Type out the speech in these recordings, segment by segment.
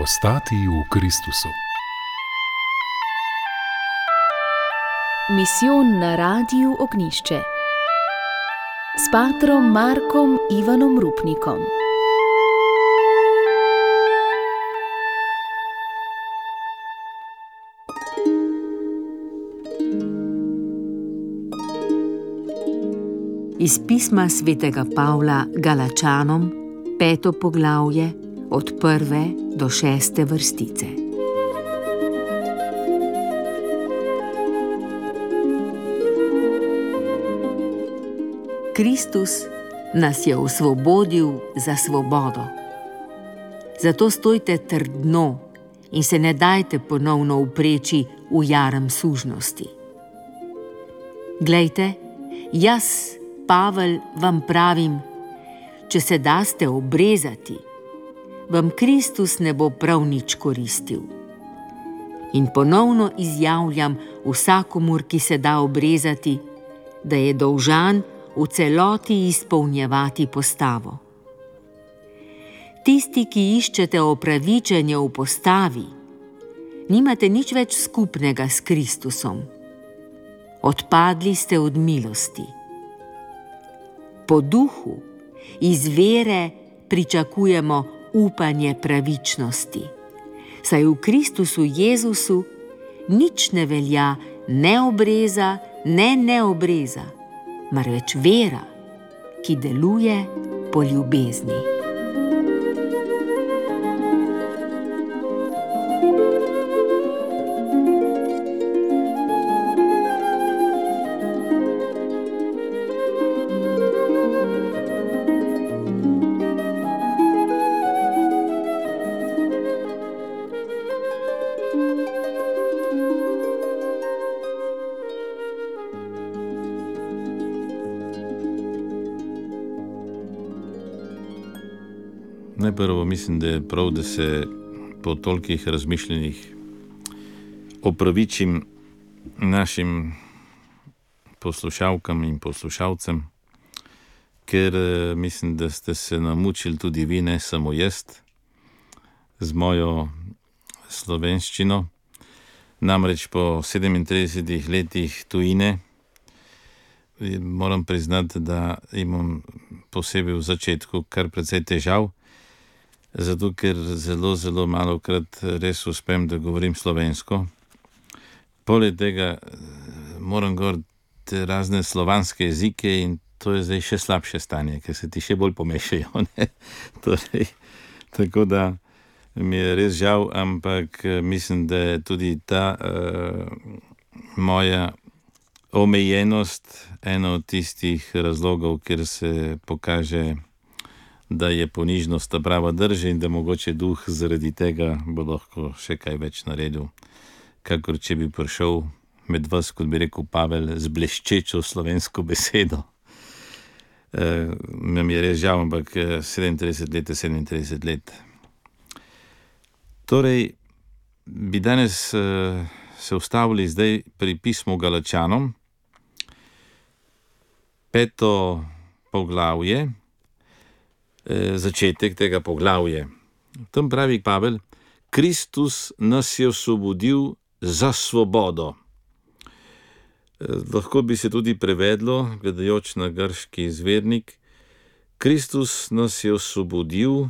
Ostati v Kristusu. Misijon na Radiu Ognjišče s patrom Markom Ivanom Rupnikom. Iz pisma svetega Pavla Galačanom, 5. poglavje, od 1. do 6. vrstice. Kristus nas je osvobodil za svobodo. Zato stojte trdno in se ne dajte ponovno upreči v jaram sužnosti. Glejte, jaz, Pavel, vam pravim, če se daste obrezati, vam Kristus ne bo prav nič koristil. In ponovno izjavljam vsakomur, ki se da obrezati, da je dolžan v celoti izpolnjevati postavo. Tisti, ki iščete opravičenje v postavi, nimate nič več skupnega s Kristusom. Odpadli ste od milosti. Po duhu, iz vere pričakujemo upanje pravičnosti, saj v Kristusu Jezusu nič ne velja ne obreza, ne neobreza, marveč vera, ki deluje po ljubezni. Najprvo mislim, da je prav, da se po tolikih razmišljenih opravičim našim poslušalkam in poslušalcem, ker mislim, da ste se namučili tudi vi, ne samo jaz, z mojo slovenščino. Namreč po 37 letih tujine moram priznati, da imam posebej v začetku kar precej težav, zato ker zelo malokrat res uspem, da govorim slovensko. Poleg tega moram govoriti razne slovanske jezike in to je zdaj še slabše stanje, ker se ti še bolj pomešajo, ne? Torej, tako da mi je res žal, ampak mislim, da je tudi ta moja omejenost ena od tistih razlogov, kjer se pokaže, da je ponižnost ta prava drži in da mogoče duh zaradi tega bo lahko še kaj več naredil, kakor če bi prišel med vas, kot bi rekel Pavel, z bleščečo slovensko besedo. Mi je res žal, ampak 37 let je 37 let. Torej, bi danes se ustavili zdaj pri pismu Galačanom, 5. poglavje, začetek tega poglavja. Tam pravi Pavel, Kristus nas je osvobodil za svobodo. Lahko bi se tudi prevedlo, gledajoč na grški izvirnik, Kristus nas je osvobodil,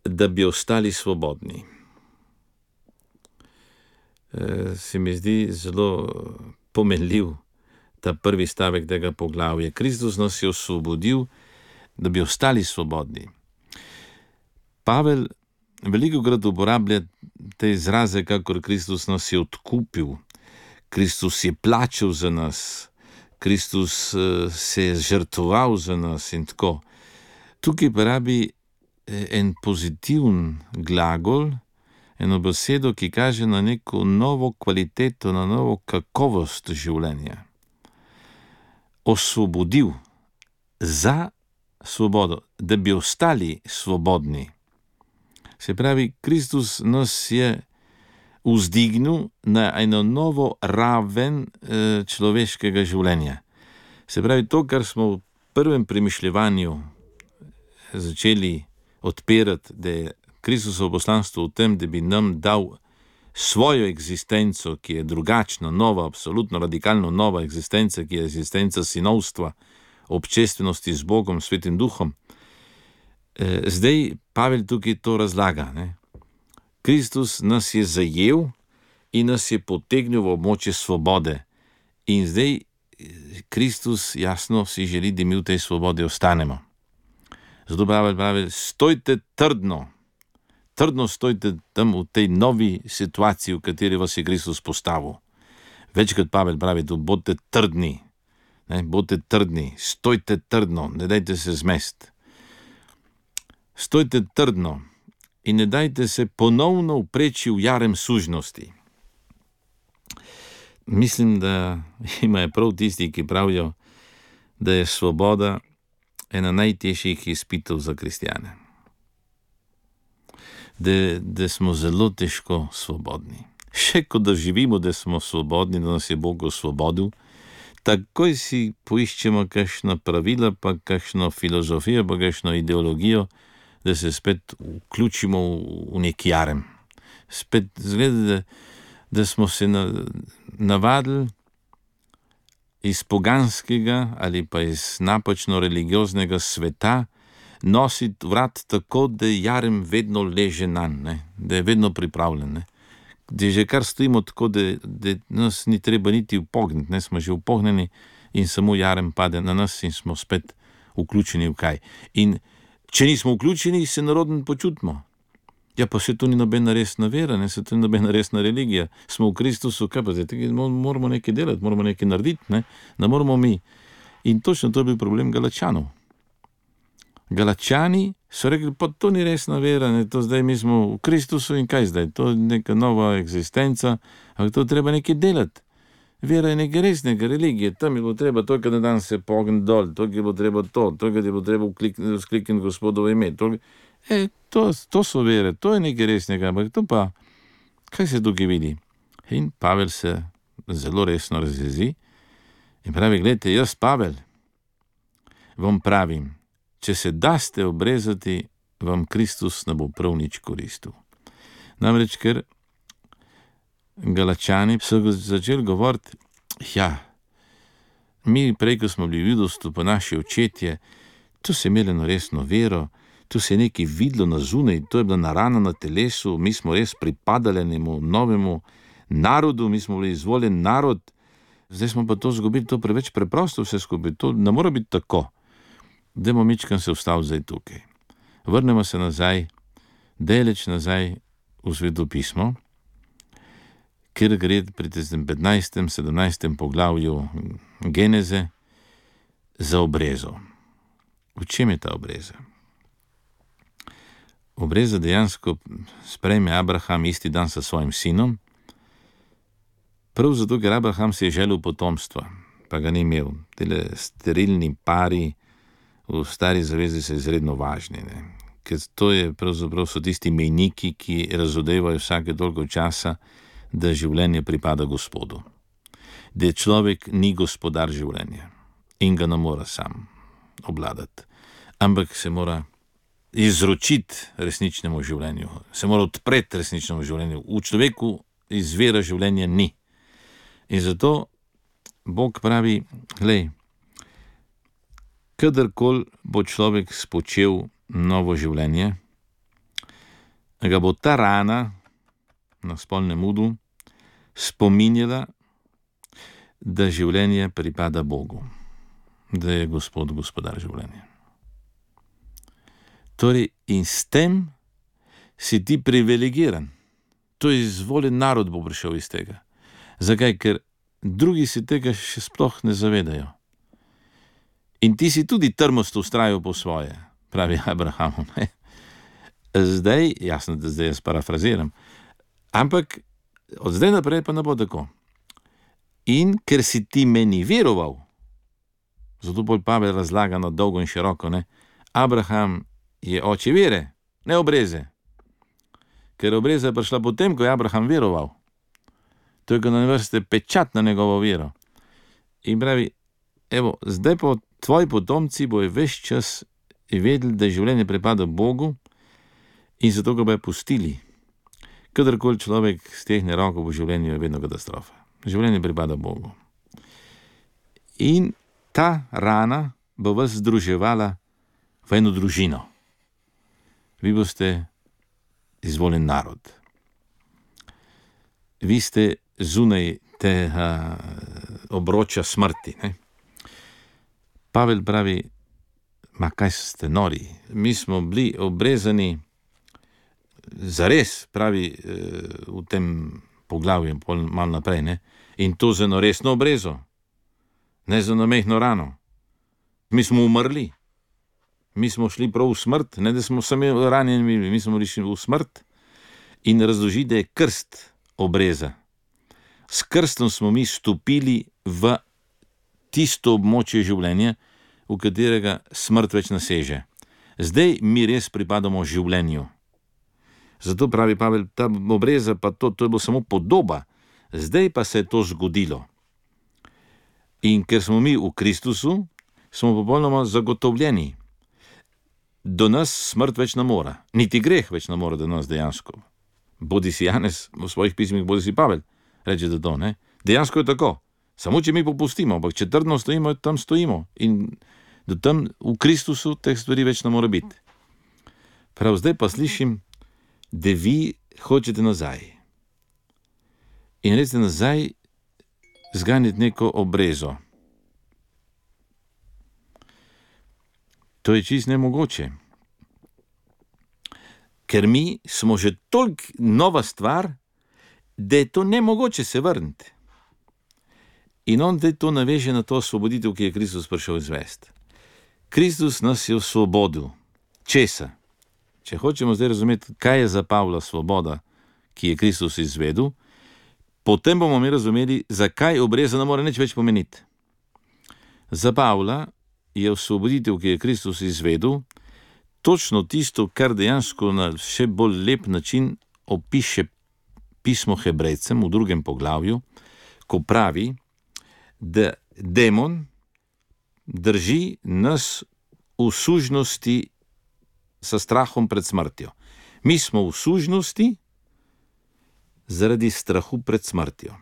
da bi ostali svobodni. Se mi zdi zelo pomenljiv ta prvi stavek tega poglavja. Kristus nas je osvobodil, da bi ostali svobodni. Pavel velikokrat uporablja te izraze, kakor Kristus nas je odkupil, Kristus je plačal za nas, Kristus se je žrtvoval za nas in tako. Tukaj pa rabi en pozitiven glagol, eno besedo, ki kaže na neko novo kvaliteto, na novo kakovost življenja. Osvobodil za svobodo, da bi ostali svobodni. Se pravi, Kristus nas je vzdignil na eno novo raven človeškega življenja. Se pravi, to, kar smo v prvem premišljevanju začeli odpirati, da je Kristusovo poslanstvo v tem, da bi nam dal svojo eksistenco, ki je drugačna, nova, absolutno radikalno nova eksistenca, ki je eksistenca sinovstva, občestvenosti z Bogom, Svetim Duhom. Zdaj Pavel tukaj to razlaga. Kristus nas je zajel in nas je potegnil v območje svobode. In zdaj Kristus jasno si želi, da mi v tej svobodi ostanemo. Zato Pavel pravi, stojte trdno stojte tam v tej novi situaciji, v kateri vas je Kristus postavil. Večkrat Pavel pravi, tu bodite trdni, stojte trdno, ne dajte se zmest. Stojte trdno in ne dajte se ponovno vpreči v jarem sužnosti. Mislim, da imajo prav tisti, ki pravijo, da je svoboda ena najtežjih izpitov za kristjane. Da smo zelo težko svobodni. Še ko da živimo, da smo svobodni, da nas je Bog osvobodil, takoj si poiščemo kakšna pravila, pa kakšno filozofijo, pa kakšno ideologijo, da se spet vključimo v nek jarem. Spet zgleda, da smo se navadili iz poganskega ali pa iz napačno religioznega sveta nositi vrat tako, da jarem vedno leže nanj, da je vedno pripravljen. Da že kar stojimo tako, da nas ni treba niti upogniti, smo že upognjeni in samo jarem pade na nas in smo spet vključeni v kaj. In če nismo vključeni, se narodno počutimo. Ja, pa se to ni nobena resna vera, se to ni nobena resna religija. Smo v Kristusu, kaj pa zdaj, moramo nekaj delati, moramo nekaj narediti, ne moramo mi. In točno to je bil problem Galačanov. Galačani so rekli, pa to ni resna vera, to zdaj mi smo v Kristusu in kaj zdaj, to je neka nova eksistenca, ampak to treba nekaj delati. Vera je nekaj resnega, religije, tam je bilo treba toliko na dan se pogniti dol, toliko je bilo treba toliko je bilo treba vzklikniti Gospodovo ime, to so vere, to je nekaj resnega, ampak to pa, kaj se tukaj vidi? In Pavel se zelo resno razjezi in pravi, gledajte, jaz Pavel vam pravim, če se daste obrezati, vam Kristus ne bo prav nič koristil. Namreč, ker Galačani so začeli govoriti, mi prej, ko smo bili v judovstvu, pa naši očetje, to se imeli na resno vero, to se je nekaj videlo na zunaj, to je bila narana na telesu, mi smo res pripadali enemu novemu narodu, mi smo bili izvoljen narod, zdaj smo pa to zgubili, to preveč preprosto vse skupaj, to ne mora biti tako. Dajmo mičkam se ustaviti zdaj tukaj. Vrnemo se nazaj, daleč nazaj v Sveto pismo, kjer gre pri 15. 17. poglavju Geneze za obrezo. V čem je ta obreza? Obreza dejansko sprejme Abraham isti dan sa svojim sinom, prav zato, ker Abraham si je želel potomstva, pa ga ni imel. Tele sterilni pari v stari zavezi so izredno važni, ker to je pravzaprav so tisti mejniki, ki razodevajo vsake toliko časa, da življenje pripada Gospodu. Da človek ni gospodar življenja in ga ne mora sam obladati, ampak se mora izročiti resničnemu življenju, se mora odpreti resničnemu življenju. V človeku izvira življenja ni. In zato Bog pravi, glej, kadarkoli bo človek spočel novo življenje, ga bo ta rana na spolnem udu spominjala, da življenje pripada Bogu, da je Gospod gospodar življenja. Torej, in s tem si ti privilegiran. To je izvoljen narod bo prišel iz tega. Zakaj? Ker drugi si tega še sploh ne zavedajo. In ti si tudi trmosto vztrajal po svoje, pravi Abrahamu. Zdaj, jasno, da zdaj jaz parafraziram, ampak od zdaj naprej pa ne bo tako. In ker si ti meni veroval, zato bolj Pavel razlaga na dolgo in široko, Abraham je oče vere, ne obreze. Ker obreza je prišla potem, ko je Abraham veroval. To je, ko na vrste pečat na njegovo vero. In pravi, evo, zdaj pa tvoji potomci bojo ves čas vedeli, da življenje pripada Bogu In zato ga bojo pustili. Kadarkoli človek stehne roko v življenju, je vedno katastrofa. Življenje pripada Bogu. In ta rana bo vas združevala v eno družino. Vi boste izvoljen narod. Vi ste zunaj tega obroča smrti. Ne? Pavel pravi, ma kaj ste nori? Mi smo bili obrezani zares, pravi v tem poglavju, malo naprej, ne? In to za eno resno obrezo, ne za eno mehno rano. Mi smo umrli, mi smo šli prav v smrt, ne da smo sami ranjeni, mi smo šli v smrt. In razloži, da je krst obreza. S krstom smo mi stopili v tisto območje življenja, v katerega smrt več naseže. Zdaj mi res pripadamo življenju. Zato pravi Pavel, ta obreza pa to je bilo samo podoba, zdaj pa se je to zgodilo. In ker smo mi v Kristusu, smo popolnoma zagotovljeni. Do nas smrt več ne more, niti greh več ne more do nas dejansko. Bodi si Janez v svojih pismih, bodi si Pavel, reče da to, ne? Dejansko je tako. Samo če mi popustimo, ampak če trdno stojimo, tam stojimo. In do tam v Kristusu teh stvari več ne more biti. Prav zdaj pa slišim, da vi hočete nazaj. In recite nazaj zganiti neko obrezo. To je čisto nemogoče. Ker mi smo že toliko nova stvar, da je to nemogoče se vrniti. In on zdaj to naveže na to osvoboditev, ki je Kristus prišel izvesti. Kristus nas je osvobodil. Česa? Če hočemo zdaj razumeti, kaj je za Pavla svoboda, ki je Kristus izvedel, potem bomo mi razumeli, zakaj obreza ne more nič več pomeniti. Za Pavla je osvoboditev, ki je Kristus izvedel, točno tisto, kar dejansko na še bolj lep način opiše pismo Hebrejcem v 2. poglavju, ko pravi, da demon drži nas v sužnosti sa strahom pred smrtjo. Mi smo v sužnosti zaradi strahu pred smrtjo.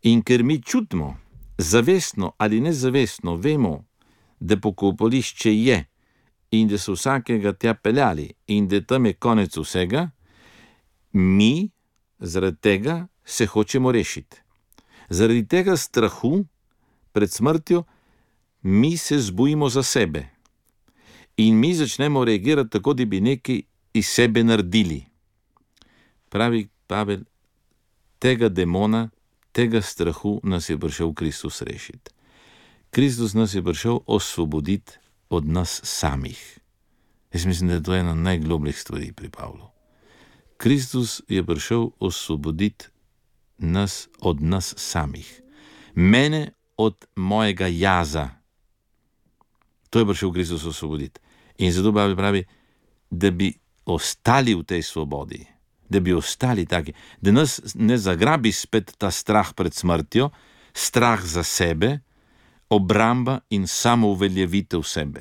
In ker mi čutimo, zavestno ali nezavestno vemo, da pokopališče je in da so vsakega tja peljali in da tam je konec vsega, mi zaradi tega se hočemo rešiti. Zaradi tega strahu pred smrtjo mi se zbojimo za sebe in mi začnemo reagirati tako, da bi nekaj iz sebe naredili. Pravi Pavel, tega demona, tega strahu nas je prišel Kristus rešiti. Kristus nas je prišel osvoboditi od nas samih. Jaz mislim, da je to ena najglobljih stvari pri Pavlu. Kristus je prišel osvoboditi nas od nas samih. Mene od mojega jaza. To je prišel Kristus osvoboditi. In zato Pavel pravi, da bi ostali v tej svobodi, da bi ostali taki, da nas ne zagrabi spet ta strah pred smrtjo, strah za sebe, obramba in samouveljavitev sebe.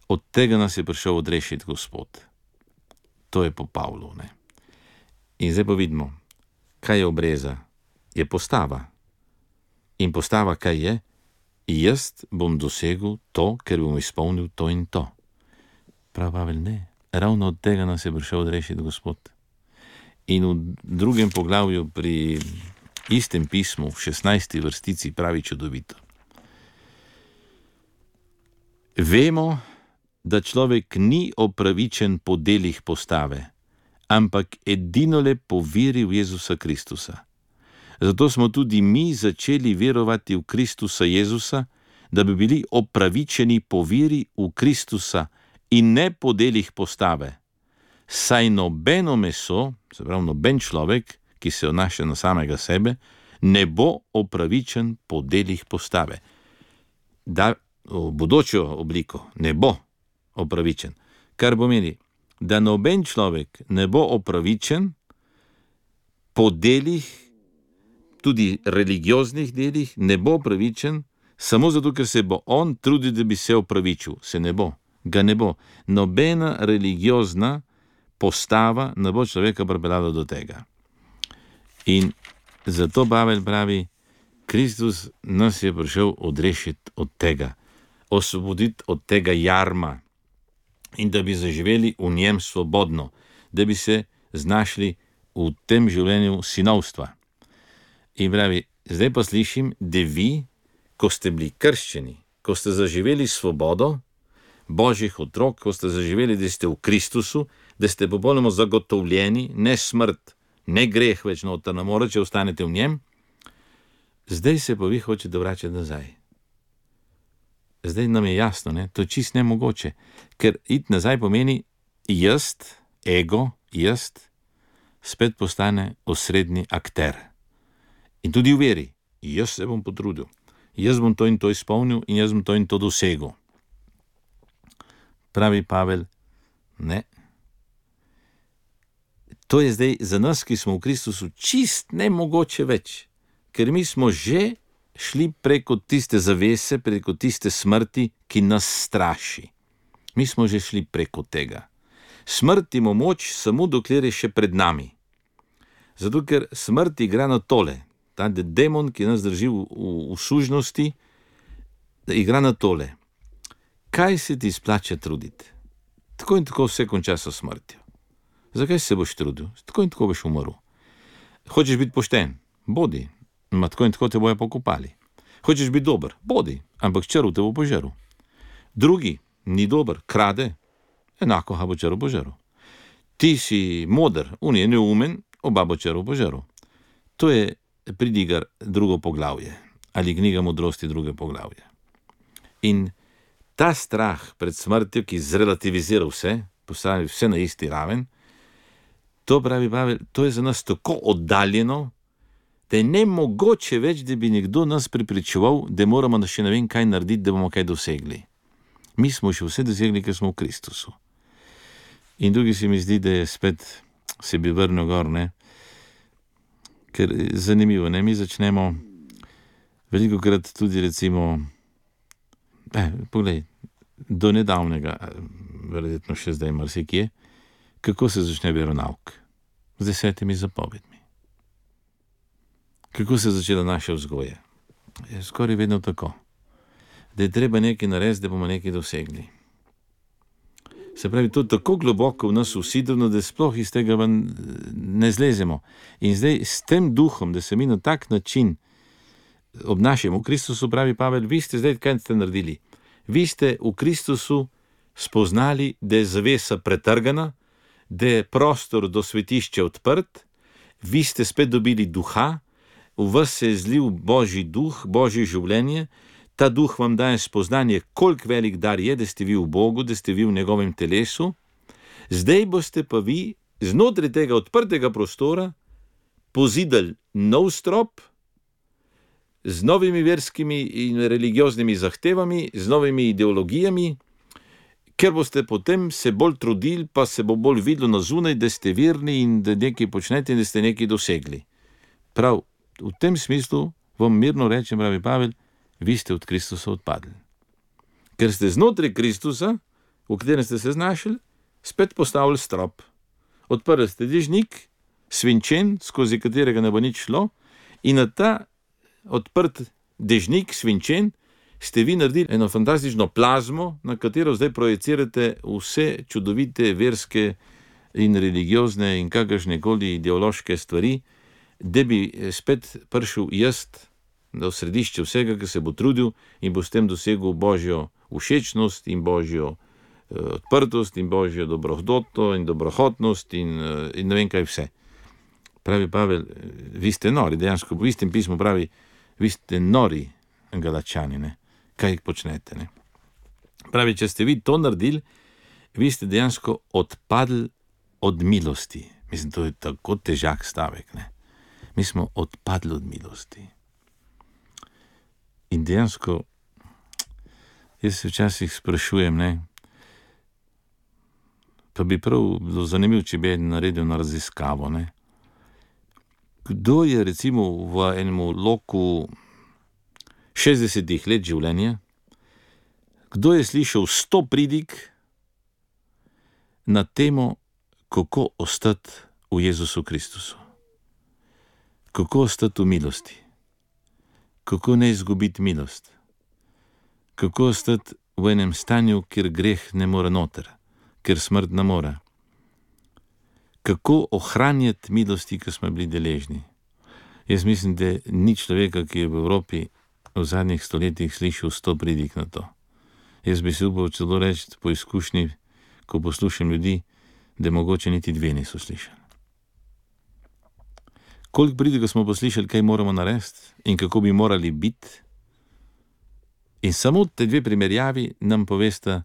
Od tega nas je prišel odrešiti Gospod. To je po Pavlu, ne? In zdaj pa vidimo, kaj je obreza? Je postava. In postava kaj je? Jaz bom dosegel to, ker bom izpolnil to in to. Prav Pavel, ne. Ravno od tega nas je prišel odrešiti Gospod. In v 2. poglavju pri istem pismu, v 16. vrstici pravi čudovito. Vemo, da človek ni opravičen po delih postave, ampak edinole po veri v Jezusa Kristusa. Zato smo tudi mi začeli verovati v Kristusa Jezusa, da bi bili opravičeni po veri v Kristusa in ne po delih postave. Saj nobeno meso, se pravi noben človek, ki se odnaša na samega sebe, ne bo opravičen po delih postave. Da v bodočo obliko ne bo opravičen. Kar pomeni, da noben človek ne bo opravičen po delih, tudi religioznih delih, ne bo opravičen samo zato, ker se bo on trudil, da bi se opravičil. Se ne bo. ga ne bo. Nobena religiozna postava ne bo človeka pripeljala do tega. In zato Pavel pravi, Kristus nas je prišel odrešiti od tega, osvoboditi od tega jarma in da bi zaživeli v njem svobodno, da bi se znašli v tem življenju sinovstva. In pravi, zdaj pa slišim, da vi, ko ste bili krščeni, ko ste zaživeli svobodo Božjih otrok, ko ste zaživeli, da ste v Kristusu, da ste popolnoma zagotovljeni, ne smrt, ne greh več noter ne more, če ostanete v njem, zdaj se pa vi hočete vračati nazaj. Zdaj nam je jasno, ne? To je čist nemogoče, ker iti nazaj pomeni jaz, ego, jaz, spet postane osrednji akter. In tudi v veri, jaz se bom potrudil, jaz bom to in to izpolnil in jaz bom to in to dosegel. Pravi Pavel, ne. To je zdaj za nas, ki smo v Kristusu, čist nemogoče več, ker mi smo že šli preko tiste zavese, preko tiste smrti, ki nas straši. Mi smo že šli preko tega. Smrt ima moč samo dokler je še pred nami. Zato, ker smrt igra na tole. Ta demon, ki nas drži v sužnosti, igra na tole. Kaj se ti splača truditi? Tako in tako vse konča s smrtjo. Zakaj se boš trudil? Tako in tako boš umrl. Hočeš biti pošten? Bodi. Ma tako in tako te bojo pokopali. Hočeš biti dober? Bodi. Ampak črv te bo požrl. Drugi ni dober, krade, enako ga bo črv požrl. Ti si moder, on je neumen, oba bo črv požrl. To je Pridigar drugo poglavje ali knjiga modrosti druge poglavje. In ta strah pred smrtjo, ki zrelativizira vse, postavi vse na isti raven, to pravi Pavel, to je za nas tako oddaljeno, da je nemogoče več, da bi nekdo nas prepričeval, da moramo še ne vem kaj narediti, da bomo kaj dosegli. Mi smo še vse dosegli, ker smo v Kristusu. In drugi se mi zdi, da je spet se bi vrnil gor, ne? Ker zanimivo, ne? Mi začnemo veliko krat tudi recimo, poglej, do nedavnega, verjetno še zdaj marsikje, kako se začne veronauk? Z 10 zapovedmi. Kako se je začela naša vzgoja? Je skoraj vedno tako, da je treba nekaj narediti, da bomo nekaj dosegli. Se pravi, to tako globoko v nas usidrno, da sploh iz tega ne zlezemo. In zdaj s tem duhom, da se mi na tak način obnašamo v Kristusu, pravi Pavel, vi ste zdaj kaj ste naredili? Vi ste v Kristusu spoznali, da je zavesa pretrgana, da je prostor do svetišča odprt, vi ste spet dobili duha, v vas se je zlil Božji duh, Božje življenje, ta duh vam daje spoznanje, koliko velik dar je, da ste vi v Bogu, da ste vi v njegovem telesu, zdaj boste pa vi znotraj tega odprtega prostora pozidali nov strop z novimi verskimi in religioznimi zahtevami, z novimi ideologijami, ker boste potem se bolj trudili, pa se bo bolj videlo na zunaj, da ste verni in da nekaj počnete in da ste nekaj dosegli. Prav, v tem smislu vam mirno rečem, pravi Pavel, vi ste od Kristusa odpadli. Ker ste znotraj Kristusa, v katerem ste se znašli, spet postavili strop. Odprli ste dežnik, svinčen, skozi katerega ne bo nič šlo, in na ta odprt dežnik, svinčen, ste vi naredili eno fantastično plazmo, na katero zdaj projecirate vse čudovite verske in religiozne in kakršnekoli ideološke stvari, da bi spet prišel jaz v središče vsega, ki se bo trudil in bo s tem dosegel Božjo všečnost in Božjo odprtost in Božjo dobrohotno in dobrohotnost in ne vem kaj vse. Pravi Pavel, vi ste nori, dejansko v istem pismu pravi, vi ste nori Galačani, ne? Kaj počnete, ne? Pravi, če ste vi to naredili, vi ste dejansko odpadli od milosti. Mislim, to je tako težak stavek, ne? Mi smo odpadli od milosti. In dejansko, jaz se včasih sprašujem, ne, pa bi prav bilo zanimivo, če bi naredil na raziskavo, ne. Kdo je recimo v enem loku 60 let življenja, kdo je slišal 100 pridig na temo, kako ostati v Jezusu Kristusu. Kako ostati v milosti. Kako ne izgubiti milost. Kako ostati v enem stanju, kjer greh ne more noter, kjer smrt ne more. Kako ohranjati milosti, ki smo bili deležni. Jaz mislim, da ni človeka, ki je v Evropi v zadnjih stoletjih slišal 100 pridig na to. Jaz bi si upal celo reči po izkušnji, ko poslušam ljudi, da mogoče niti 2 niso slišali. Koliko pridigov smo poslišali, kaj moramo narediti in kako bi morali biti, in samo te 2 primerjavi nam povesta,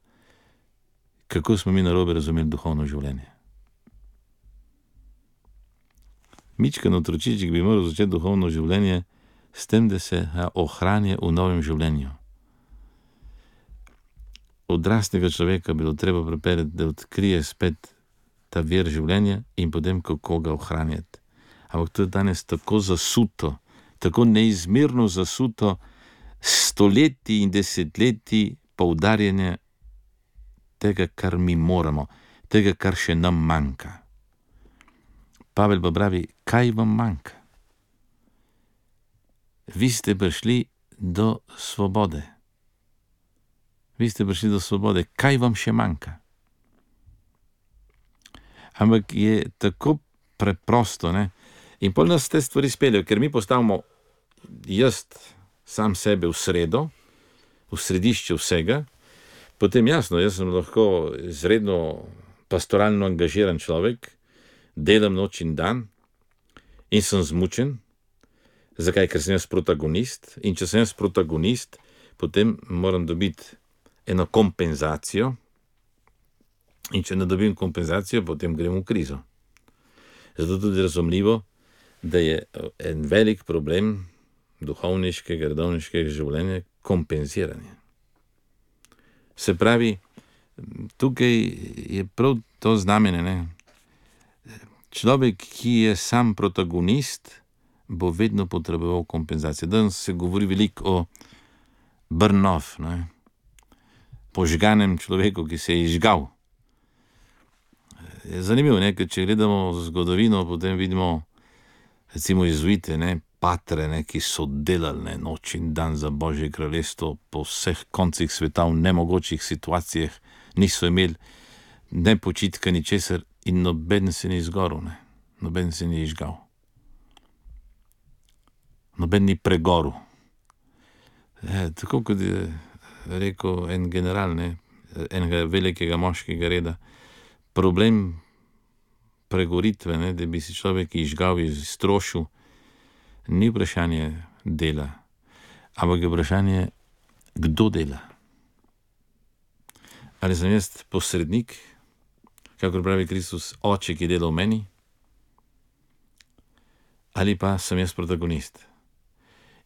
kako smo mi narobe razumeli duhovno življenje. Mičkan otročiček bi moral začeti duhovno življenje s tem, da se ohranja v novem življenju. Odraslega človeka bilo treba pripeljati, da odkrije spet ta vir življenja in potem kako ga ohranjati. Ampak to je danes tako zasuto, tako neizmerno zasuto, stoletji in desetletji poudarjanja tega, kar mi moramo, tega, kar še nam manjka. Pavel pa pravi, kaj vam manjka? Vi ste prišli do svobode. Vi ste prišli do svobode. Kaj vam še manjka? Ampak je tako preprosto, ne? In pol nas te stvari speljajo, ker mi postavimo jaz sam sebe v sredo, v središče vsega, potem jasno, jaz sem lahko izredno pastoralno angažiran človek, delam noč in dan in sem zmučen. Zakaj? Ker sem jaz protagonist, in če sem jaz protagonist, potem moram dobiti eno kompenzacijo, in če ne dobim kompenzacijo, potem grem v krizo. Zato tudi razumljivo, da je en velik problem duhovniškega, redovniškega življenja kompenziranje. Se pravi, tukaj je prav to znamenje, ne? Človek, ki je sam protagonist, bo vedno potreboval kompenzacijo. Danes se govori veliko o burn-off, ne? Požganem človeku, ki se je izžgal. Je zanimivo, ne? Ker če gledamo zgodovino, potem vidimo recimo jezuite, ne? Patre, ne? Ki so delali, ne? Noč in dan za Božje kraljestvo po vseh koncih sveta, v nemogočih situacijah, niso imeli ne počitka, ni česar, in noben se ni izgoril, ne? Noben se ni izžgal. Noben ni pregoril. Tako kot je rekel en general, ne? Enega velikega moškega reda, problem pregoritve, ne? Da bi si človek izžgal, iztrošil, ni vprašanje dela, ampak je vprašanje, kdo dela. Ali sem jaz posrednik, kakor pravi Kristus, oče, ki dela v meni, ali pa sem jaz protagonist.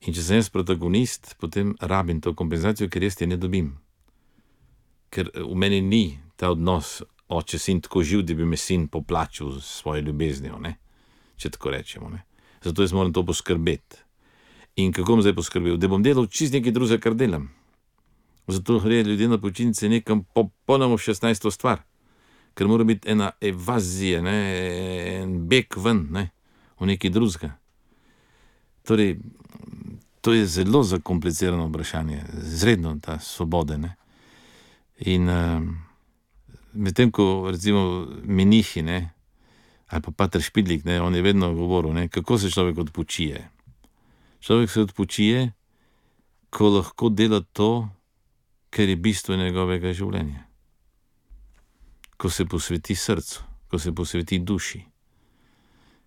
In če sem jaz protagonist, potem rabim to kompenzacijo, ker jaz je ne dobim. Ker v meni ni ta odnos oče sin tako živ, da bi me sin poplačil s svojo ljubeznijo, ne? Če tako rečemo, ne? Zato jaz moram to poskrbeti. In kako bom zdaj poskrbel? Da bom delal čist nekaj drugega, kar delam. Zato gre ljudje na počitnice nekam popolnoma v 16. stvar. Ker mora biti ena evazija, ne? En beg ven, ne? V nekaj drugega. Torej, to je zelo zakomplicirano vprašanje, izredno ta svobode, ne? In medtem, ko recimo menihi, ne, ali pa pater Špidlik, ne, on je vedno govoril, ne, kako se človek odpočije. Človek se odpočije, ko lahko dela to, kar je bistvo njegovega življenja. Ko se posveti srcu, ko se posveti duši.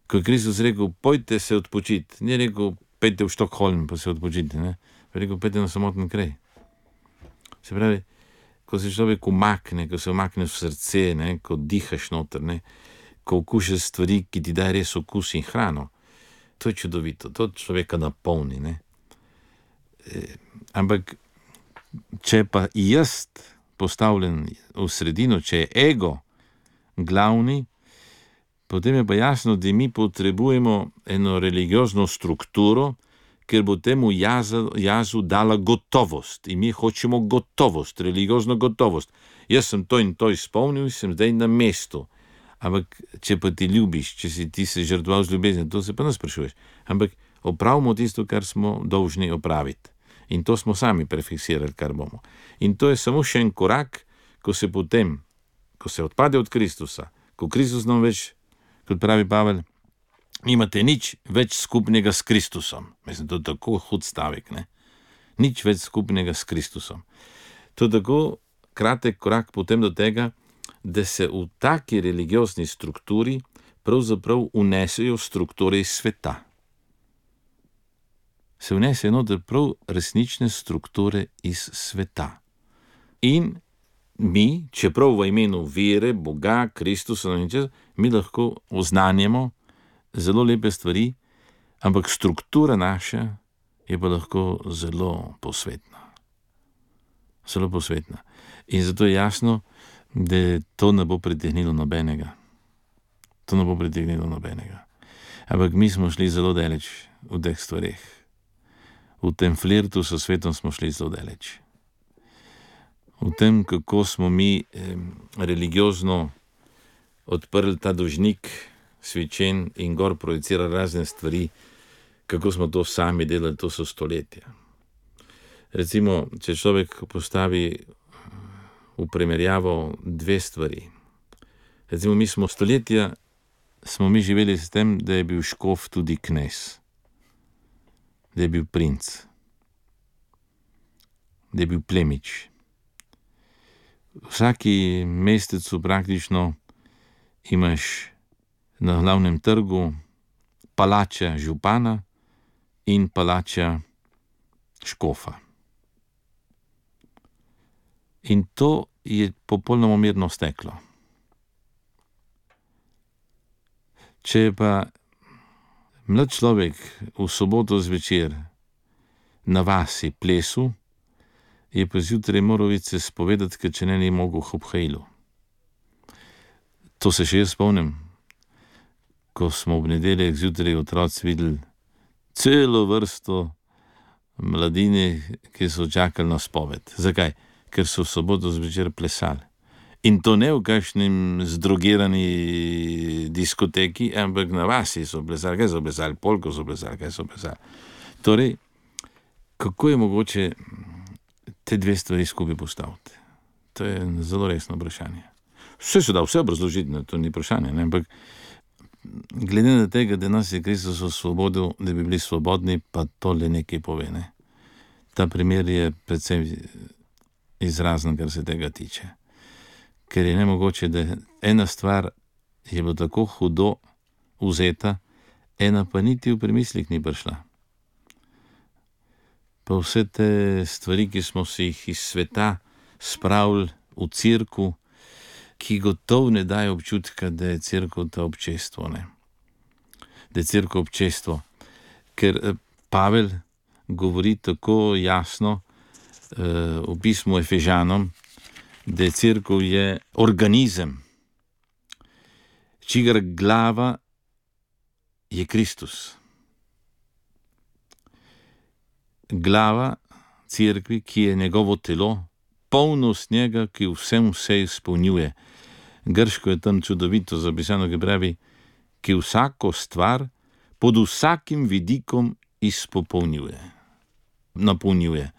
Ko je Kristus rekel, pojte se odpočiti, ni rekel, pejte v Štokholm pa se odpočiti, ne, je rekel, pejte na samoten kraj. Se pravi, ko se človek umakne, ko se umakne v srce, ne, ko dihaš noter, ne, ko okušaš stvari, ki ti daje res okus in hrano, to je čudovito, to človeka napolni, ne. Ampak, če pa jaz postavljen v sredino, če je ego glavni, potem je pa jasno, da mi potrebujemo eno religiozno strukturo, ker bo temu jazu dala gotovost. In mi hočemo gotovost, religiozno gotovost. Jaz sem to in to izpolnil in sem zdaj na mestu. Ampak, če pa ti ljubiš, če si ti se žrtvoval z ljubezen, to se pa ne sprašuješ. Ampak opravimo tisto, kar smo dolžni opraviti. In to smo sami prefiksirali, kar bomo. In to je samo še en korak, ko se potem, ko se odpade od Kristusa, ko Kristus nam več, kot pravi Pavel, imate nič več skupnega s Kristusom. Mislim, to je tako hud stavek, ne? Nič več skupnega s Kristusom. To je tako kratek korak potem do tega, da se v taki religiozni strukturi pravzaprav unesejo strukture iz sveta. Se vnesejo noter prav resnične strukture iz sveta. In mi, čeprav v imenu vere, Boga, Kristusa, mi lahko oznanjamo zelo lepe stvari, ampak struktura naša je pa lahko zelo posvetna. Zelo posvetna. In zato je jasno, da to ne bo pritegnilo nobenega. To ne bo pritegnilo nobenega. Ampak mi smo šli zelo daleč v teh stvareh. V tem flirtu s svetom smo šli zelo daleč. V tem, kako smo mi religiozno odprli ta dožnik svičen in gor projicirali razne stvari, kako smo to sami delali, to so stoletja. Recimo, če človek postavi v primerjavo dve stvari. Recimo, mi smo stoletja, smo mi živeli s tem, da je bil škof tudi knez, da je bil princ, da je bil plemič. Vsaki mestecu praktično imaš na glavnem trgu palača župana in palača škofa. In to je popolnoma mirno steklo. Če pa mlad človek v soboto zvečer na vasi plesu, je pa zjutraj moral se spovedati, ker če ne mogel ob hajlu. To se še jaz spomnim, ko smo v nedeljah zjutraj otroci videli celo vrsto mladine, ki so čakali na spoved. Zakaj? Ker so v soboto zvečer plesali. In to ne v kakšnem zdrogirani diskoteki, ampak na vasi so plesali. Kaj so plesali? Polko so plesali, kaj so plesali. Torej, kako je mogoče te dve stvari skupaj postaviti? To je zelo resno vprašanje. Vse se da, vse obrazložiti, to ni vprašanje, ne? Ampak glede na tega, da nas je Kristus osvobodil, da bi bili svobodni, pa to le nekaj pove, ne? Ta primer je predvsem izrazen, kar se tega tiče. Ker je nemogoče, da ena stvar je bila tako hudo vzeta, ena pa niti v premislih ni prišla. Pa vse te stvari, ki smo si jih iz sveta spravili v cerkev, ki gotovo ne daje občutka, da je cerkev ta občestvo, ne? Da je cerkev občestvo. Ker Pavel govori tako jasno v pismu Efežanom, da je cerkev je organizem, čigar glava je Kristus. Glava cerkvi, ki je njegovo telo, polnost njega, ki vsem vse izpolnjuje. Grško je tam čudovito zapisano, ki pravi, ki vsako stvar pod vsakim vidikom izpopolnjuje, napolnjuje.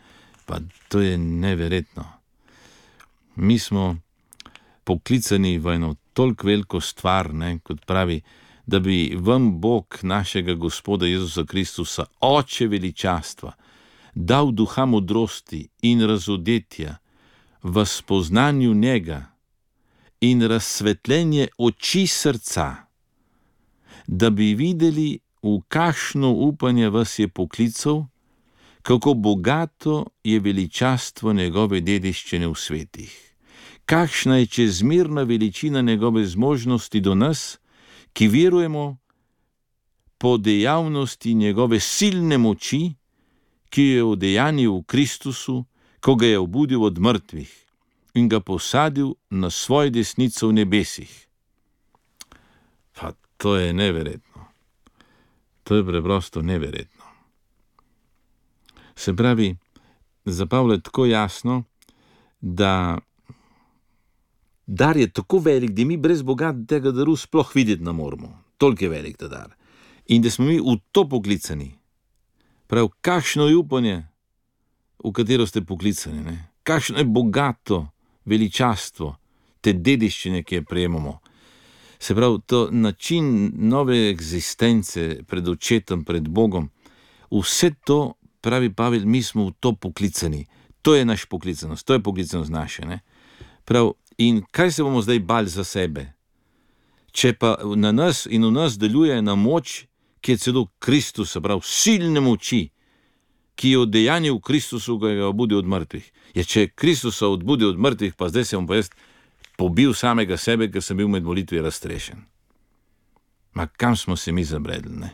Pa to je neverjetno. Mi smo poklicani v eno toliko veliko stvar, ne, kot pravi, da bi vam Bog našega Gospoda Jezusa Kristusa, Oče veličastva, dal duha modrosti in razodetja v spoznanju njega in razsvetljenje oči srca, da bi videli, v kakšno upanje vas je poklical, kako bogato je veličastvo njegove dediščine v svetih, kakšna je čezmerna veličina njegove zmožnosti do nas, ki verujemo po dejavnosti njegove silne moči, ki jo je udejanil v Kristusu, ko ga je obudil od mrtvih in ga posadil na svojo desnico v nebesih. Pa to je neverjetno. To je preprosto neverjetno. Se pravi, za Pavla je tako jasno, da dar je tako velik, da mi brez Boga tega daru sploh videti ne moremo. Toliko je velik ta dar. In da smo mi v to poklicani. Prav, kakšno je upanje, v katero ste poklicani, ne? Kakšno je bogato veličastvo te dediščine, ki je prejemamo. Se pravi, to način nove eksistence pred očetom, pred Bogom, vse to, pravi Pavel, mi smo v to poklicani. To je naš poklicanost, to je poklicanost naše, ne? Prav, in kaj se bomo zdaj bali za sebe? Če pa na nas in v nas deluje ena moč, ki je celo Kristus, se pravi, silne moči, ki je odejanil v Kristusu, ko ga obudi od mrtvih. Ja, če Kristusa odbudi od mrtvih, pa zdaj se bom pa jaz pobil samega sebe, ker sem bil med molitvi raztrešen. Ma kam smo se mi zabredli, ne?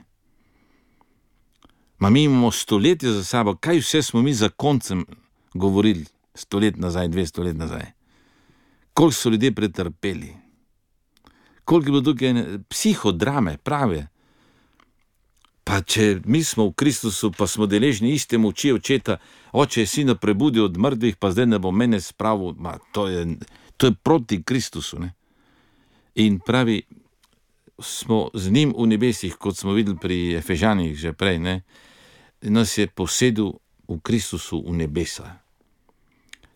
Ma mi imamo stoletja za sabo, kaj vse smo mi za koncem govorili 100 let nazaj, 200 let nazaj. Koliko so ljudje pretrpeli. Koliko je bilo tukaj psihodrame, prave. Pa če mi smo v Kristusu, pa smo deležni iste moči očeta, oče je sina prebudil od mrtvih, pa zdaj ne bo mene spravil, to je proti Kristusu, ne? In pravi, smo z njim v nebesih, kot smo videli pri Efežanih že prej, ne? Nas je posedel v Kristusu v nebesa.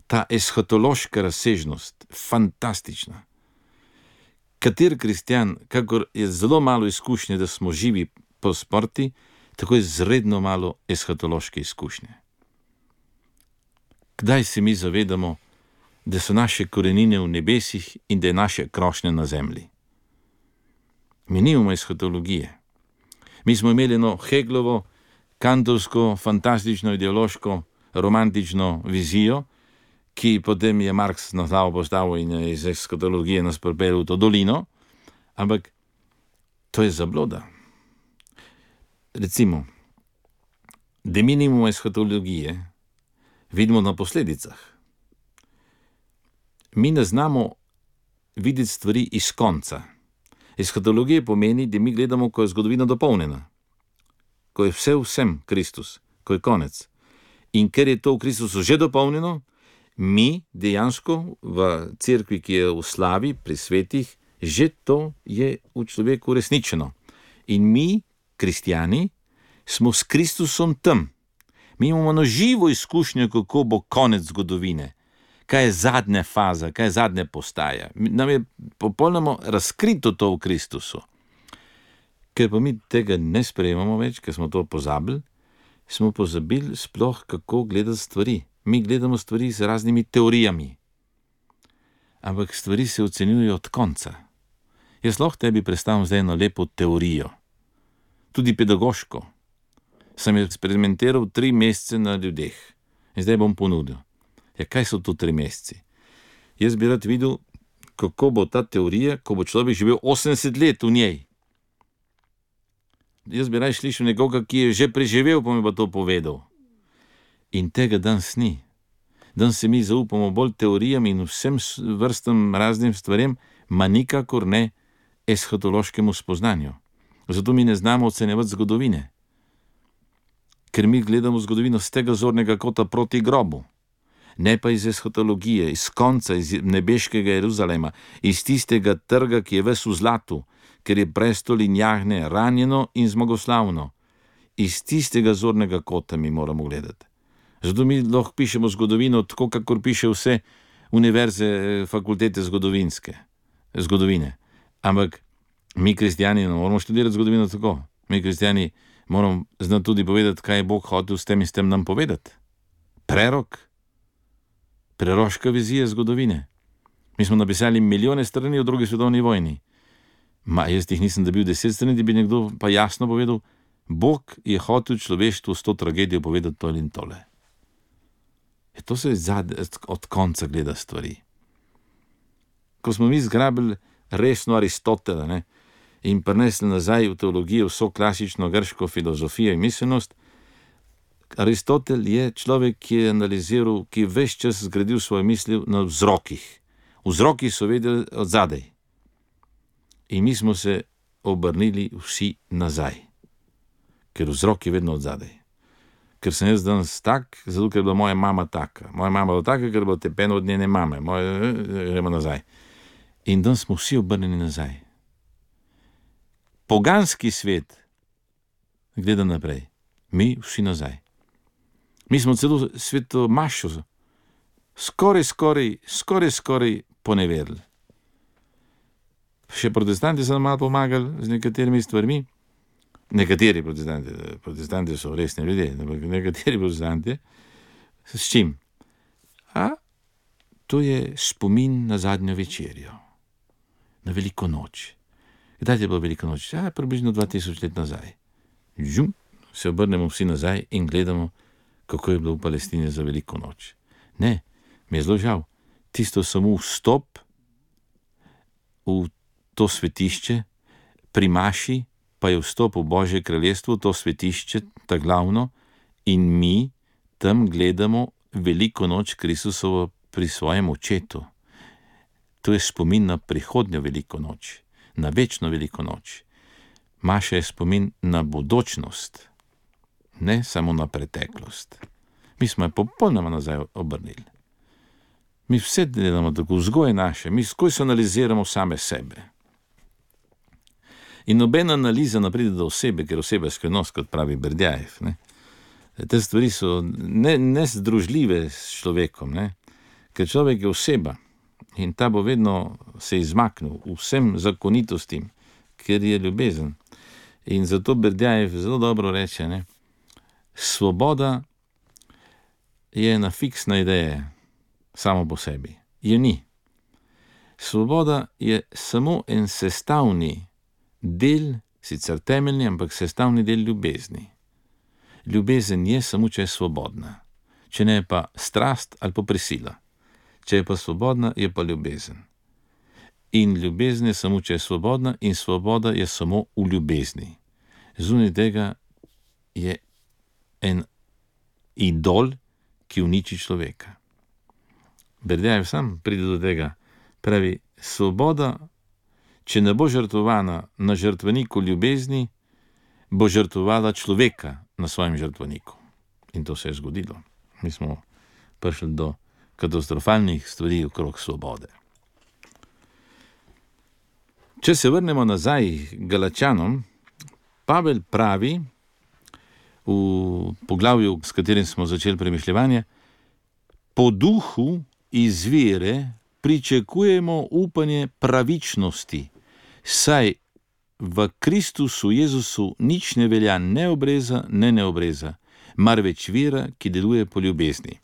Ta eshatološka razsežnost, fantastična. Kater kristjan, kakor je zelo malo izkušnje, da smo živi po smrti, tako je zredno malo eshatološke izkušnje. Kdaj se mi zavedamo, da so naše korenine v nebesih in da je naše krošnje na zemlji? Mi nimamo eshatologije. Mi smo imeli eno Heglovo, kantovsko, fantastično, ideološko, romantično vizijo, ki potem je Marx na glavo postavil in je iz eshatologije nas pripeljal v to dolino, ampak to je zabloda. Recimo, da mi nimamo eshatologije, vidimo na posledicah. Mi ne znamo videti stvari iz konca. Eshatologija pomeni, da mi gledamo, ko je zgodovina dopolnjena, ko je vse vsem Kristus, ko je konec. In ker je to v Kristusu že dopolnjeno, mi dejansko v cerkvi, ki je v slavi, pri svetih, že to je v človeku resničeno. In mi, kristjani, smo s Kristusom tam. Mi imamo eno živo izkušnjo, kako bo konec zgodovine. Kaj je zadnja faza, kaj je zadnja postaja. Nam je popolnoma razkrito to v Kristusu. Ker pa mi tega ne sprejemamo več, ker smo to pozabili, smo pozabili sploh, kako gledati stvari. Mi gledamo stvari z raznimi teorijami. Ampak stvari se ocenjujejo od konca. Jaz lahko tebi predstavim zdaj eno lepo teorijo. Tudi pedagoško. Sem jo eksperimentiral 3 mesece na ljudeh. In zdaj bom ponudil. Ja, kaj so to 3 meseci? Jaz bi rad videl, kako bo ta teorija, ko bo človek živel 80 let v njej. Jaz bi rad slišal nekoga, ki je že preživel, pa mi bo to povedal. In tega danes ni. Danes se mi zaupamo bolj teorijam in vsem vrstam raznim stvarem, ma nikakor ne eshatološkemu spoznanju. Zato mi ne znamo ocenjevati zgodovine. Ker mi gledamo zgodovino z tega zornega kota proti grobu. Ne pa iz eshatologije, iz konca, iz nebeškega Jeruzalema, iz tistega trga, ki je ves v zlatu, ker je prestol in jagne ranjeno in zmagoslavno. Iz tistega zornega kota mi moramo gledati. Zato mi lahko pišemo zgodovino tako, kakor piše vse univerze, fakultete zgodovine. Ampak mi kristjani ne moramo študirati zgodovino tako. Mi kristjani moramo znati tudi povedati, kaj je Bog hotel s tem in s tem nam povedati. Preroška vizija zgodovine. Mi smo napisali milijone strani o 2. svetovni vojni. Jaz jih nisem dobil 10 strani, da bi nekdo pa jasno povedal, Bog je hotel človeštvu s to tragedijo povedati to in tole. To se od konca gleda stvari. Ko smo mi zgrabili resno Aristotela, ne, in prinesli nazaj v teologijo vso klasično grško filozofijo in miselnost, Aristotel je človek, ki je analiziral, ki je ves čas zgradil svoje misli na vzrokih. Vzroki so vedeli od zadaj. In mi smo se obrnili vsi nazaj, ker vzrok je vedno od zadaj. ker sem jaz danes tak, zato ker je bila moja mama taka. Moja mama je bila taka, ker je bila tepena od njene mame. Gremo nazaj. In danes smo vsi obrnjeni nazaj. Poganski svet gleda naprej. Mi vsi nazaj. Mi smo celo sveto mašo skoraj poneverili. Še protestanti so nam malo pomagali z nekaterimi stvarmi. Nekateri protestanti so resni ljudje, ampak nekateri protestanti, s čim? To je spomin na zadnjo večerjo, na veliko noč. Kdaj je bilo veliko noč? Približno 2000 let nazaj. Se obrnemo vsi nazaj in gledamo, kako je bilo v Palestini za veliko noč. Ne, mi je zelo žal. Tisto samo vstop v to svetišče, pri maši, pa je vstop v Božje kraljestvo, to svetišče, ta glavno, in mi tam gledamo veliko noč Kristusovo pri svojem očetu. To je spomin na prihodnjo veliko noč, na večno veliko noč. Maša je spomin na bodočnost, ne samo na preteklost. Mi smo jo popolnoma nazaj obrnili. Mi vse delamo tako, vzgoje naše, mi skoj analiziramo same sebe. In nobena analiza ne pride do osebe, ker oseba je skrivnost, kot pravi Berdjajev. Te stvari so nezdružljive s človekom, ne? Ker človek je oseba in ta bo vedno se izmaknil vsem zakonitostim, ker je ljubezen. In zato Berdjajev zelo dobro reče, ne? Svoboda je ena fiksna ideja, samo po sebi. Je ni. Svoboda je samo en sestavni del, sicer temeljni, ampak sestavni del ljubezni. Ljubezen je samo, če je svobodna. Če ne je pa strast ali pa prisila. Če je pa svobodna, je pa ljubezen. In ljubezen je samo, če je svobodna, in svoboda je samo v ljubezni. Zunaj tega je en idol, ki uniči človeka. Berdjajev sam pride do tega. Pravi, svoboda, če ne bo žrtvovana na žrtveniku ljubezni, bo žrtvovala človeka na svojem žrtveniku. In to se je zgodilo. Mi smo prišli do katastrofalnih stvari okrog svobode. Če se vrnemo nazaj Galačanom, Pavel pravi v poglavju, s katerim smo začeli premišljevanje, po duhu izvire pričakujemo upanje pravičnosti, saj v Kristusu Jezusu nič ne velja ne obreza, ne neobreza, marveč vera, ki deluje po ljubezni.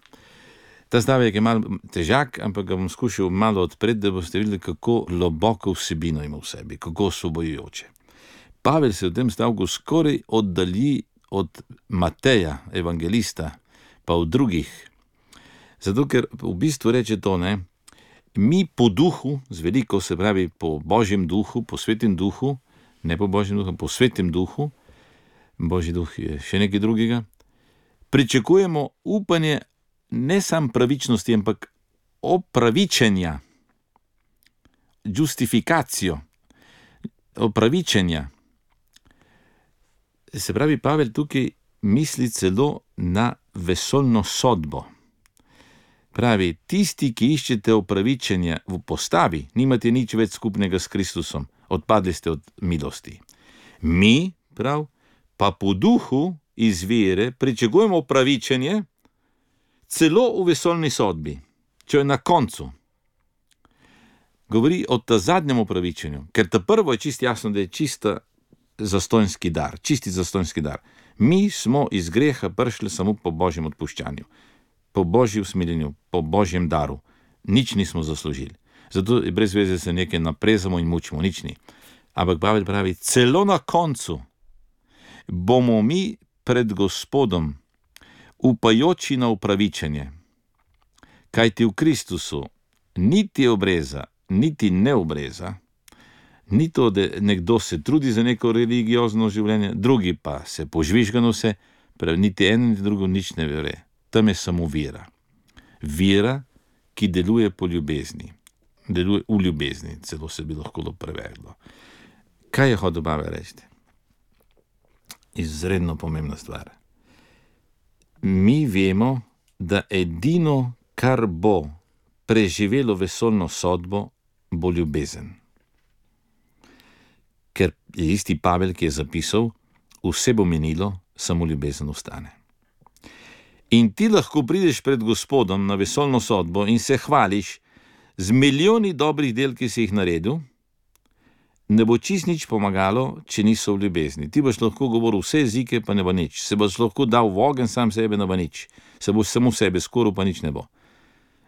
Ta stavek je malo težak, ampak ga bom skušal malo odpreti, da boste videli, kako globoko vsebino ima v sebi, kako osvobojujoče. Pavel se v tem stavku skoraj oddalji od Mateja, evangelista, pa od drugih. Zato, ker v bistvu reče to, ne, mi po duhu, z veliko se pravi po Božjem duhu, po svetem duhu, ne po Božjem duhu, po svetem duhu, Božji duh je še nekaj drugega, pričakujemo upanje ne sam pravičnosti, ampak opravičenja, justifikacijo, opravičenja. Se pravi, Pavel tukaj misli celo na vesoljno sodbo. Pravi, tisti, ki iščete opravičenja v postavi, nimate nič več skupnega s Kristusom, odpadli ste od milosti. Mi, prav, pa po duhu iz vere pričakujemo opravičenje celo v vesoljni sodbi, če je na koncu. Govori o ta zadnjem opravičenju, ker ta prvo je čisto jasno, da je čisti zastonjski dar. Mi smo iz greha prišli samo po Božjem odpuščanju, po Božjem usmiljenju, po Božjem daru. Nič nismo zaslužili. Zato je brez veze se nekaj naprezamo in mučimo, nič ni. Ampak Pavel pravi, celo na koncu bomo mi pred Gospodom upajoči na upravičenje, kajti v Kristusu niti obreza, niti neobreza, ni to, da nekdo se trudi za neko religiozno življenje, drugi pa se požvižgano se, pravi, niti eno, niti drugo nič ne vere. Tam je samo vera. Vera, ki deluje po ljubezni. Deluje v ljubezni, celo se bi lahko prevedlo. Kaj je hotel Pavel reči? Izredno pomembna stvar. mi vemo, da edino, kar bo preživelo vesoljno sodbo, bo ljubezen. Ker je isti Pavel, ki je zapisal, vse bo minilo, samo ljubezen ostane. In ti lahko prideš pred Gospodom na vesoljno sodbo in se hvališ z milijoni dobrih del, ki si jih naredil, ne bo čist nič pomagalo, če niso v ljubezni. Ti boš lahko govoril vse jezike, pa ne bo nič. Se boš lahko dal v ogenj sam sebe, ne bo nič. Se boš samo sebe skoril, pa nič ne bo.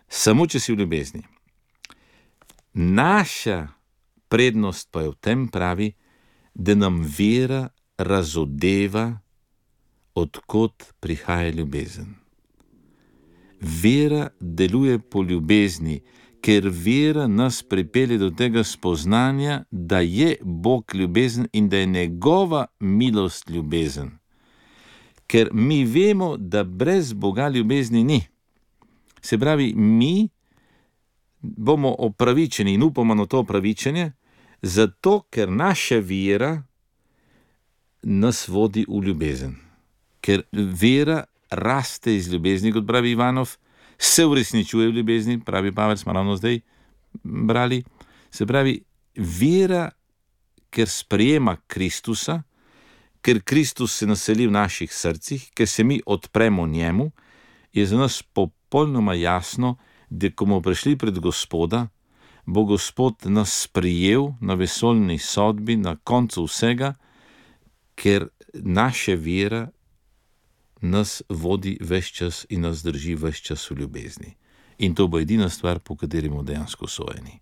Samo, če si v ljubezni. Naša prednost pa je v tem, pravi, da nam vera razodeva, odkot prihaja ljubezen. Vera deluje po ljubezni, ker vera nas pripelje do tega spoznanja, da je Bog ljubezen in da je njegova milost ljubezen. Ker mi vemo, da brez Boga ljubezni ni. Se pravi, mi bomo opravičeni in upamo na to opravičenje, zato ker naša vera nas vodi v ljubezen. Ker vera raste iz ljubezni, kot pravi Ivanov, se uresničuje v ljubezni, pravi Pavel, smo ravno zdaj brali. Se pravi, vera, ker sprejema Kristusa, ker Kristus se naseli v naših srcih, ker se mi odpremo njemu, je za nas popolnoma jasno, da ko bomo prišli pred Gospoda, bo Gospod nas sprijel na vesoljni sodbi, na koncu vsega, ker naša vera nas vodi ves čas in nas drži ves čas v ljubezni. In to bo edina stvar, po kateri bomo dejansko sojeni.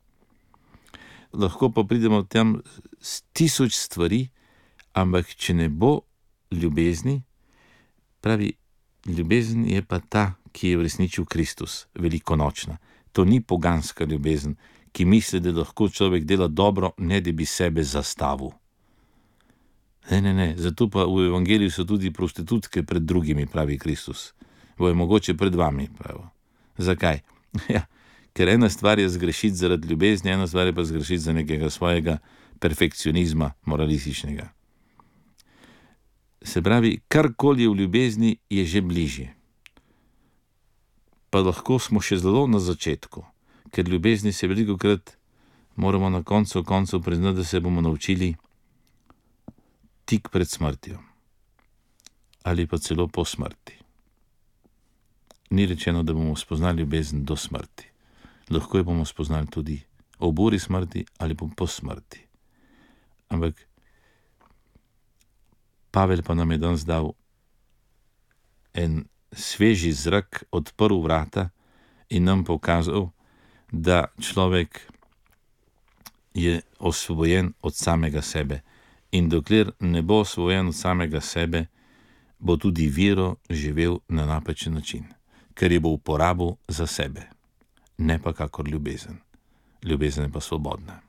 Lahko pa pridemo tam s 1000 stvari, ampak če ne bo ljubezni, pravi, ljubezen je pa ta, ki je v resnici Kristus, velikonočna. To ni poganska ljubezen, ki misli, da lahko človek dela dobro, ne da bi sebe zastavil. Ne, zato pa v evangeliju so tudi prostitutke pred drugimi, pravi Kristus. Bo je mogoče pred vami, pravi. Zakaj? Ja, ker ena stvar je zgrešiti zaradi ljubezni, ena stvar je pa zgrešiti za nekega svojega perfekcionizma, moralističnega. Se pravi, karkoli je v ljubezni, je že bližje. Pa lahko smo še zelo na začetku, ker ljubezni se velikokrat moramo na koncu priznati, da se bomo naučili tik pred smrtjo ali pa celo po smrti. Ni rečeno, da bomo spoznali ljubezen do smrti. Lahko jo bomo spoznali tudi ob uri smrti ali pa po smrti. Ampak Pavel pa nam je danes dal en sveži zrak, odprl vrata in nam pokazal, da človek je osvobojen od samega sebe. In dokler ne bo osvobojen od samega sebe, bo tudi vero živel na napačen način, ker je bo uporabil za sebe, ne pa kakor ljubezen. Ljubezen je pa svobodna.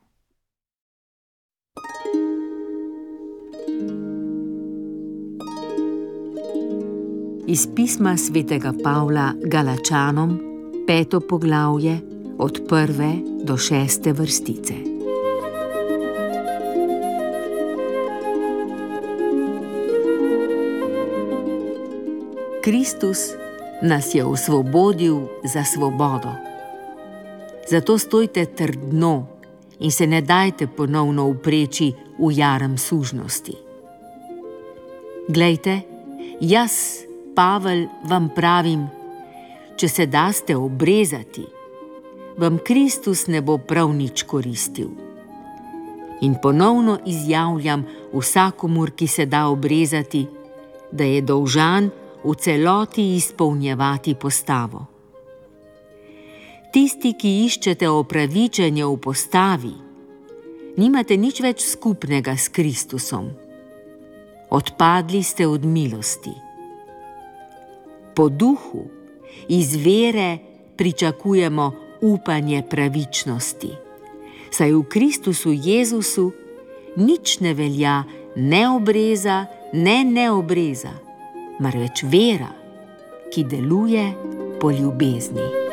Iz pisma svetega Pavla Galačanom, 5. poglavje, od 1. do 6. vrstice. Kristus nas je osvobodil za svobodo. Zato stojte trdno in se ne dajte ponovno upreči v jaram sužnosti. Glejte, jaz, Pavel, vam pravim, če se daste obrezati, vam Kristus ne bo prav nič koristil. In ponovno izjavljam vsakomur, ki se da obrezati, da je dolžan v celoti izpolnjevati postavo. Tisti, ki iščete opravičenje v postavi, nimate nič več skupnega s Kristusom. Odpadli ste od milosti. Po duhu, iz vere pričakujemo upanje pravičnosti, saj v Kristusu Jezusu nič ne velja ne obreza, ne neobreza, marveč vera, ki deluje po ljubezni.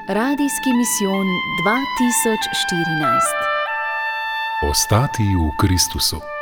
Radijski misijon 2014. Ostati v Kristusu.